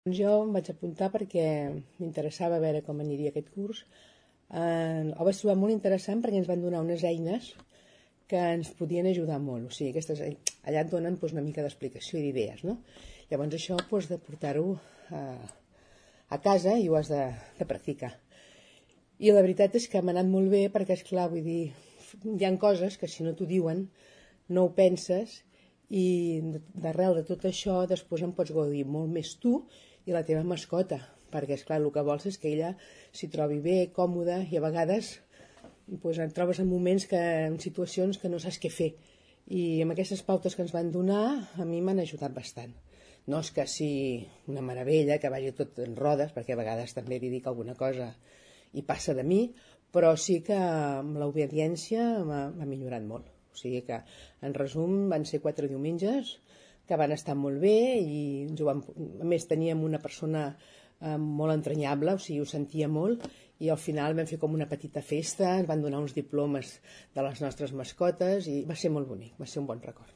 Jo em vaig apuntar perquè m'interessava veure com aniria aquest curs. Ho vaig trobar molt interessant perquè ens van donar unes eines que ens podien ajudar molt. O sigui, allà et donen una mica d'explicació i d'idees, no? Llavors això de portar-ho a casa i ho has de practicar. I la veritat és que m'ha anat molt bé perquè, esclar, vull dir, hi ha coses que si no t'ho diuen no ho penses i d'arrel de tot això després en pots gaudir molt més tu i la teva mascota, perquè esclar, el que vols és que ella s'hi trobi bé, còmoda, i a vegades et trobes en situacions que no saps què fer, i amb aquestes pautes que ens van donar a mi m'han ajudat bastant. No és que sigui una meravella que vagi tot en rodes, perquè a vegades també li dic alguna cosa i passa de mi, però sí que amb l'obediència m'ha millorat molt. O sigui que, en resum, van ser 4 diumenges que van estar molt bé i a més teníem una persona molt entranyable, o sigui, ho sentia molt, i al final vam fer com una petita festa, ens van donar uns diplomes de les nostres mascotes i va ser molt bonic, va ser un bon record.